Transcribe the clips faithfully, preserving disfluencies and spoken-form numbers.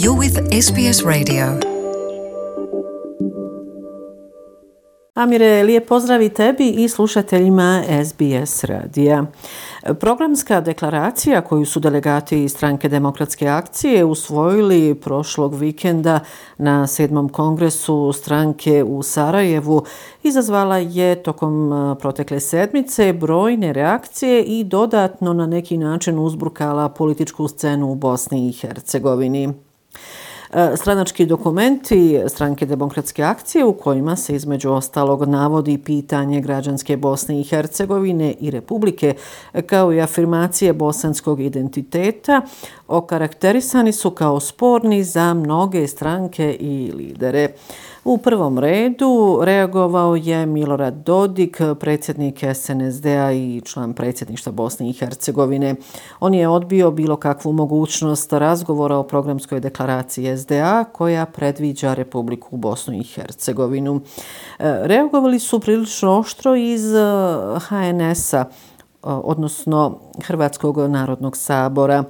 You're with S B S Radio. Amire, lijep pozdrav i tebi i slušateljima S B S radija. Programska deklaracija koju su delegati iz Stranke demokratske akcije usvojili prošlog vikenda na sedmom kongresu stranke u Sarajevu izazvala je tokom protekle sedmice brojne reakcije i dodatno na neki način uzburkala političku scenu u Bosni i Hercegovini. Stranački dokumenti Stranke demokratske akcije u kojima se između ostalog navodi pitanje građanske Bosne i Hercegovine i Republike kao i afirmacije bosanskog identiteta okarakterisani su kao sporni za mnoge stranke i lidere. U prvom redu reagovao je Milorad Dodik, predsjednik S N S D-a i član predsjedništva Bosne i Hercegovine. On je odbio bilo kakvu mogućnost razgovora o programskoj deklaraciji S D A koja predviđa Republiku Bosnu i Hercegovinu. Reagovali su prilično oštro iz H N S-a, odnosno Hrvatskog narodnog sabora.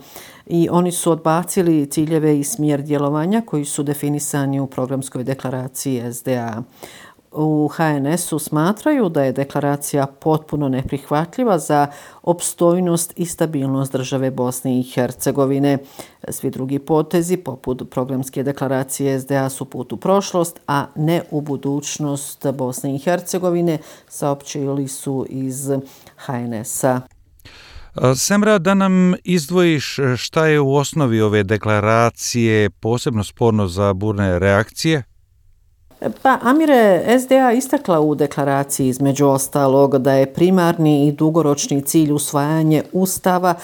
I oni su odbacili ciljeve i smjer djelovanja koji su definisani u programskoj deklaraciji S D A. U H N S-u smatraju da je deklaracija potpuno neprihvatljiva za opstojnost i stabilnost države Bosne i Hercegovine. Svi drugi potezi, poput programske deklaracije S D A, su put u prošlost, a ne u budućnost Bosne i Hercegovine, saopćili su iz H N S-a. Semra, da nam izdvojiš šta je u osnovi ove deklaracije posebno sporno za burne reakcije? Pa, Amire, S D A istakla u deklaraciji između ostalog da je primarni i dugoročni cilj usvajanje ustava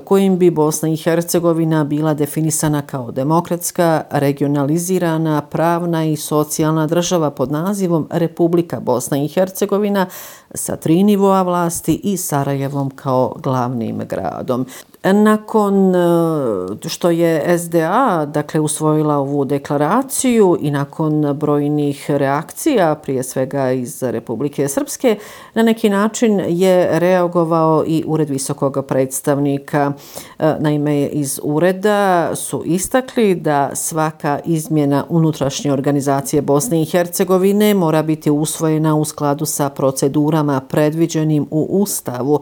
kojim bi Bosna i Hercegovina bila definisana kao demokratska, regionalizirana, pravna i socijalna država pod nazivom Republika Bosna i Hercegovina sa tri nivoa vlasti i Sarajevom kao glavnim gradom. Nakon što je S D A dakle usvojila ovu deklaraciju i nakon brojnih reakcija, prije svega iz Republike Srpske, na neki način je reagovao i Ured visokog predstavnika. Naime, iz ureda su istakli da svaka izmjena unutrašnje organizacije Bosne i Hercegovine mora biti usvojena u skladu sa procedurama predviđenim u Ustavu,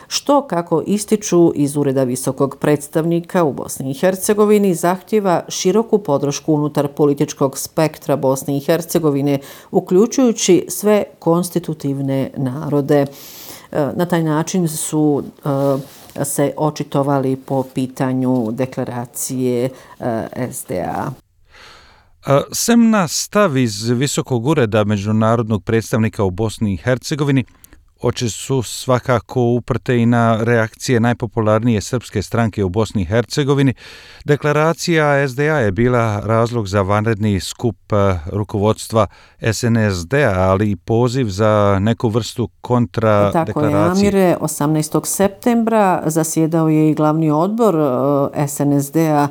što, kako ističu iz Ureda visokog predstavnika u Bosni i Hercegovini, zahtjeva široku podršku unutar političkog spektra Bosne i Hercegovine, uključujući sve konstitutivne narode. Na taj način su se očitovali po pitanju deklaracije S D A. Sem na stav iz Visokog ureda međunarodnog predstavnika u Bosni i Hercegovini, oči su svakako uprte i na reakcije najpopularnije srpske stranke u Bosni i Hercegovini. Deklaracija S D A je bila razlog za vanredni skup rukovodstva S N S D-a, ali i poziv za neku vrstu kontra Tako deklaracije. Tako je, Amire, osamnaestog septembra zasjedao je i glavni odbor S N S D-a.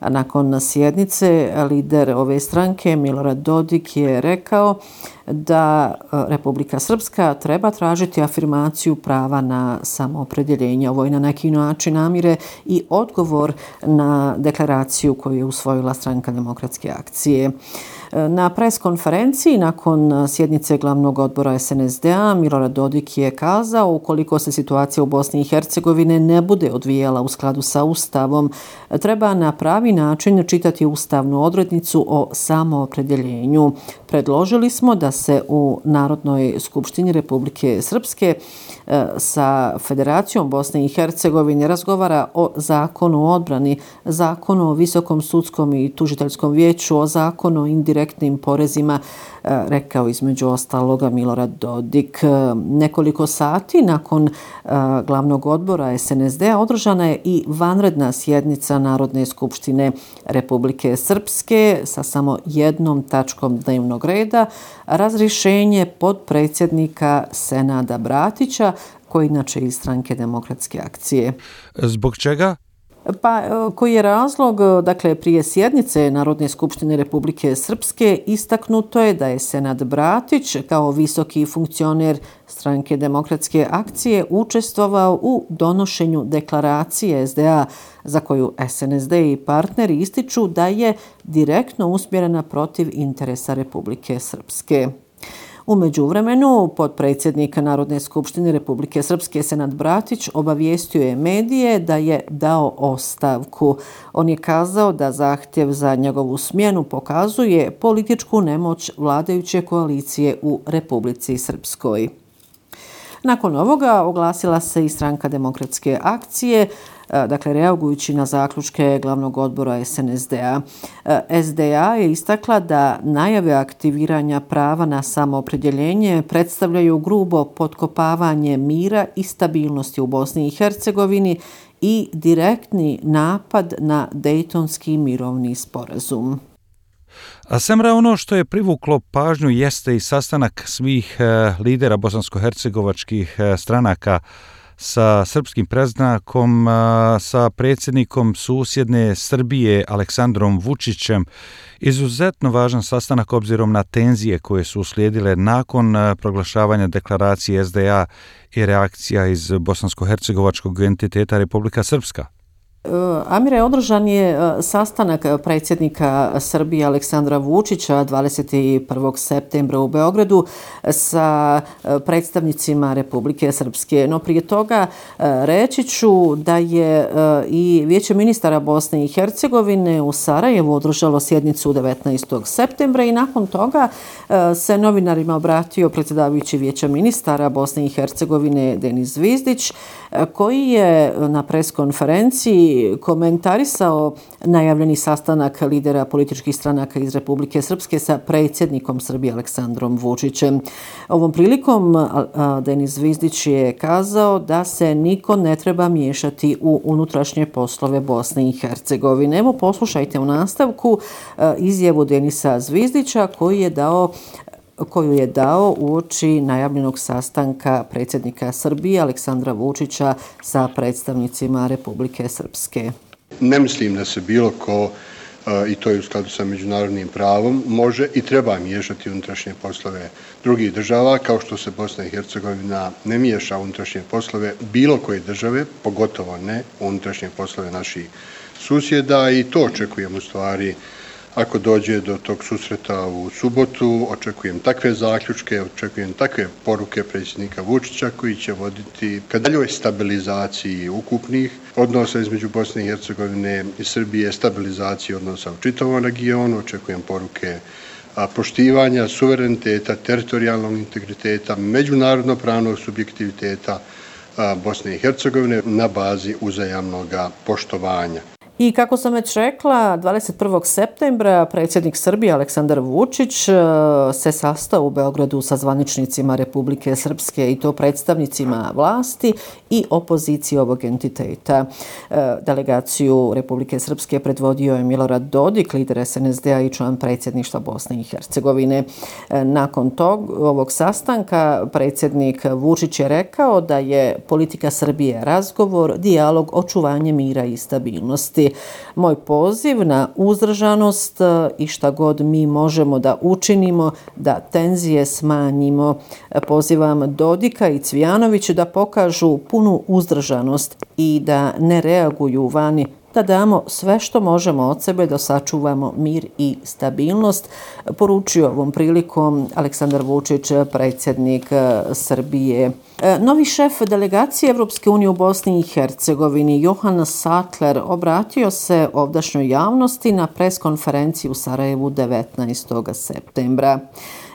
Nakon sjednice lider ove stranke Milorad Dodik je rekao da Republika Srpska treba tražiti afirmaciju prava na samoopredjeljenje. Ovo je na neki način, Amire, i odgovor na deklaraciju koju je usvojila Stranka demokratske akcije. Na pres konferenciji nakon sjednice glavnog odbora S N S D-a Milorad Dodik je kazao ukoliko se situacija u Bosni i Hercegovini ne bude odvijala u skladu sa Ustavom, treba na pravi način čitati ustavnu odrednicu o samoopredjeljenju. Predložili smo da se u Narodnoj skupštini Republike Srpske sa Federacijom Bosne i Hercegovine razgovara o zakonu o odbrani, zakonu o visokom sudskom i tužiteljskom vijeću, o zakonu o indirektnim porezima, rekao između ostaloga Milorad Dodik. Nekoliko sati nakon glavnog odbora S N S D-a održana je i vanredna sjednica Narodne skupštine Republike Srpske sa samo jednom tačkom dnevnog reda, razrješenje potpredsjednika Senada Bratića, koji inače iz Stranke demokratske akcije. Zbog čega? Pa koji je razlog? Dakle, prije sjednice Narodne skupštine Republike Srpske istaknuto je da je Senad Bratić kao visoki funkcioner Stranke demokratske akcije učestvovao u donošenju deklaracije S D A za koju S N S D i partneri ističu da je direktno usmjerena protiv interesa Republike Srpske. U međuvremenu, potpredsjednik Narodne skupštine Republike Srpske Senad Bratić obavijestio je medije da je dao ostavku. On je kazao da zahtjev za njegovu smjenu pokazuje političku nemoć vladajuće koalicije u Republici Srpskoj. Nakon ovoga oglasila se i Stranka demokratske akcije, dakle reagujući na zaključke glavnog odbora S N S D-a. S D A je istakla da najave aktiviranja prava na samoopredjeljenje predstavljaju grubo potkopavanje mira i stabilnosti u Bosni i Hercegovini i direktni napad na Dejtonski mirovni sporazum. A Semra, ono što je privuklo pažnju jeste i sastanak svih eh, lidera bosansko-hercegovačkih eh, stranaka sa srpskim predznakom, eh, sa predsjednikom susjedne Srbije Aleksandrom Vučićem. Izuzetno važan sastanak obzirom na tenzije koje su uslijedile nakon eh, proglašavanja deklaracije S D A i reakcija iz bosansko-hercegovačkog entiteta Republika Srpska. Amire, održan je sastanak predsjednika Srbije Aleksandra Vučića dvadeset prvog septembra u Beogradu sa predstavnicima Republike Srpske. No prije toga reći ću da je i Vijeće ministara Bosne i Hercegovine u Sarajevu održalo sjednicu devetnaestog septembra i nakon toga se novinarima obratio predsjedavajući Vijeća ministara Bosne i Hercegovine Denis Zvizdić, koji je na preskonferenciji komentarisao najavljeni sastanak lidera političkih stranaka iz Republike Srpske sa predsjednikom Srbije Aleksandrom Vučićem. Ovom prilikom Denis Zvizdić je kazao da se niko ne treba miješati u unutrašnje poslove Bosne i Hercegovine. Evo poslušajte u nastavku izjavu Denisa Zvizdića koji je dao koju je dao uoči najavljenog sastanka predsjednika Srbije Aleksandra Vučića sa predstavnicima Republike Srpske. Ne mislim da se bilo ko, i to je u skladu sa međunarodnim pravom, može i treba miješati unutrašnje poslove drugih država, kao što se Bosna i Hercegovina ne miješa unutrašnje poslove bilo koje države, pogotovo ne unutrašnje poslove naših susjeda, i to očekujem u stvari. Ako dođe do tog susreta u subotu, očekujem takve zaključke, očekujem takve poruke predsjednika Vučića koji će voditi ka daljoj stabilizaciji ukupnih odnosa između Bosne i Hercegovine i Srbije, stabilizaciji odnosa u čitavom regionu, očekujem poruke poštivanja suvereniteta, teritorijalnog integriteta, međunarodno pravnog subjektiviteta Bosne i Hercegovine na bazi uzajamnog poštovanja. I kako sam već rekla, dvadeset prvog septembra predsjednik Srbije Aleksandar Vučić se sastao u Beogradu sa zvaničnicima Republike Srpske i to predstavnicima vlasti i opozicije ovog entiteta. Delegaciju Republike Srpske predvodio je Milorad Dodik, lider S N S D-a i član predsjedništva Bosne i Hercegovine. Nakon tog ovog sastanka predsjednik Vučić je rekao da je politika Srbije razgovor, dijalog, očuvanje mira i stabilnosti. Moj poziv na uzdržanost i šta god mi možemo da učinimo, da tenzije smanjimo. Pozivam Dodika i Cvijanovića da pokažu punu uzdržanost i da ne reaguju vani, da damo sve što možemo od sebe da sačuvamo mir i stabilnost, poručio ovom prilikom Aleksandar Vučić, predsjednik Srbije. Novi šef delegacije Evropske unije u Bosni i Hercegovini, Johan Sattler, obratio se ovdašnjoj javnosti na preskonferenciji u Sarajevu devetnaestog septembra.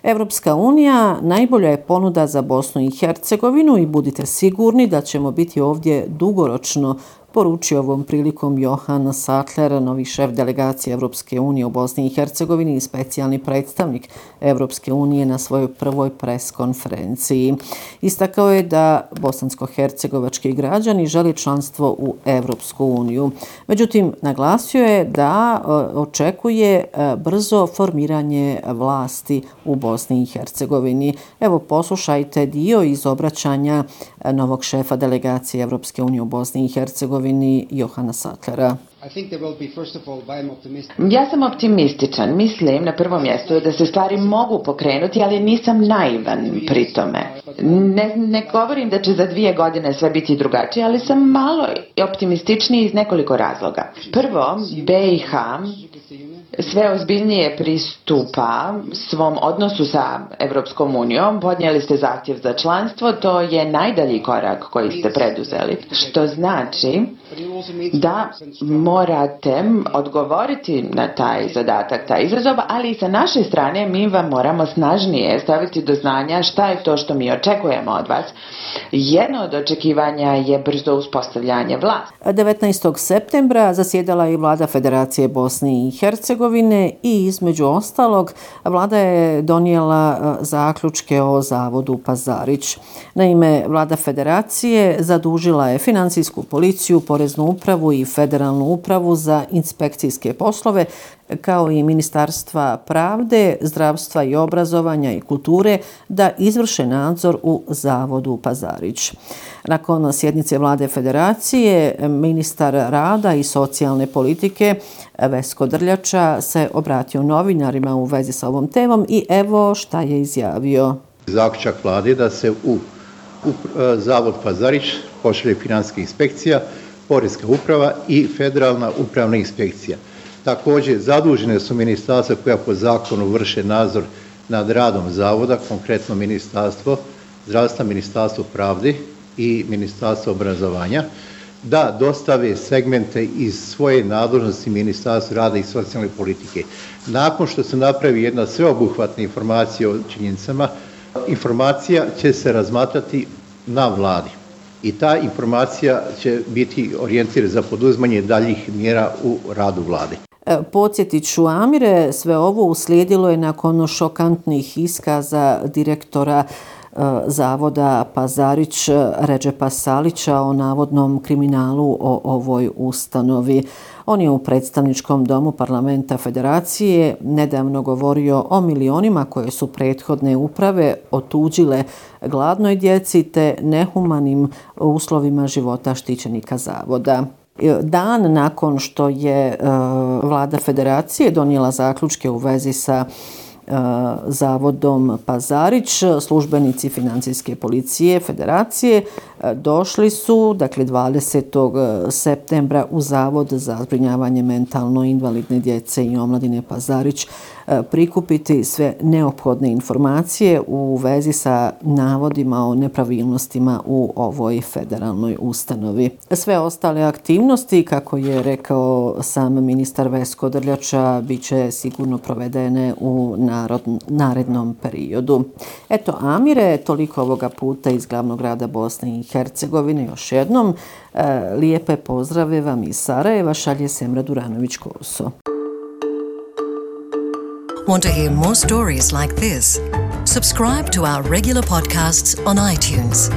Evropska unija najbolja je ponuda za Bosnu i Hercegovinu i budite sigurni da ćemo biti ovdje dugoročno, poručio ovom prilikom Johan Sattler, novi šef delegacije Evropske unije u Bosni i Hercegovini i specijalni predstavnik Evropske unije na svojoj prvoj preskonferenciji. Istakao je da bosansko-hercegovački građani žele članstvo u Evropsku uniju. Međutim, naglasio je da očekuje brzo formiranje vlasti u Bosni i Hercegovini. Evo, poslušajte dio iz obraćanja novog šefa delegacije Evropske unije u Bosni i Hercegovini Johana Sattlera. Ja sam optimističan. Mislim na prvom mjestu da se stvari mogu pokrenuti, ali nisam naivan pri tome. Ne, ne govorim da će za dvije godine sve biti drugačije, ali sam malo optimističniji iz nekoliko razloga. Prvo, B i H sve ozbiljnije pristupa svom odnosu sa Evropskom unijom. Podnijeli ste zahtjev za članstvo, to je najdalji korak koji ste preduzeli, što znači da morate odgovoriti na taj zadatak, taj izazov, ali i sa naše strane mi vam moramo snažnije staviti do znanja šta je to što mi očekujemo od vas. Jedno od očekivanja je brzo uspostavljanje vlasti. devetnaestog septembra zasjedala je vlada Federacije Bosne i Hercegovine i između ostalog vlada je donijela zaključke o zavodu Pazarić. Naime, vlada Federacije zadužila je financijsku policiju, poreznu upravu i federalnu upravu za inspekcijske poslove, kao i Ministarstva pravde, zdravstva i obrazovanja i kulture da izvrše nadzor u zavodu Pazarić. Nakon sjednice vlade Federacije, ministar rada i socijalne politike Vesko Drljača se obratio novinarima u vezi sa ovom temom i evo šta je izjavio. Zaključak vlade da se u, u zavod Pazarić pošalje financijska inspekcija, porezka uprava i federalna upravna inspekcija. Također, zadužene su ministarstva koja po zakonu vrše nadzor nad radom zavoda, konkretno Ministarstvo zdravstva, Ministarstvo pravde i Ministarstvo obrazovanja, da dostave segmente iz svoje nadležnosti Ministarstva rada i socijalne politike. Nakon što se napravi jedna sveobuhvatna informacija o činjenicama, informacija će se razmatrati na vladi. I ta informacija će biti orijentirana za poduzimanje daljih mjera u radu vlade. Podsjetit ću, Amire, sve ovo uslijedilo je nakon šokantnih iskaza direktora zavoda Pazarić Redžepa Salića o navodnom kriminalu o ovoj ustanovi. On je u predstavničkom domu parlamenta Federacije nedavno govorio o milionima koje su prethodne uprave otuđile gladnoj djeci te nehumanim uslovima života štićenika zavoda. Dan nakon što je vlada Federacije donijela zaključke u vezi sa zavodom Pazarić, službenici financijske policije Federacije došli su, dakle dvadesetog septembra u Zavod za zbrinjavanje mentalno invalidne djece i omladine Pazarić prikupiti sve neophodne informacije u vezi sa navodima o nepravilnostima u ovoj federalnoj ustanovi. Sve ostale aktivnosti, kako je rekao sam ministar Vesko Drljača, bit će sigurno provedene u narod, narednom periodu. Eto, Amire, toliko ovoga puta iz glavnog grada Bosne i Hercegovine. Još jednom, lijepe pozdrave vam iz Sarajeva, šalje Semra Duranović-Koso. Want to hear more stories like this? Subscribe to our regular podcasts on iTunes.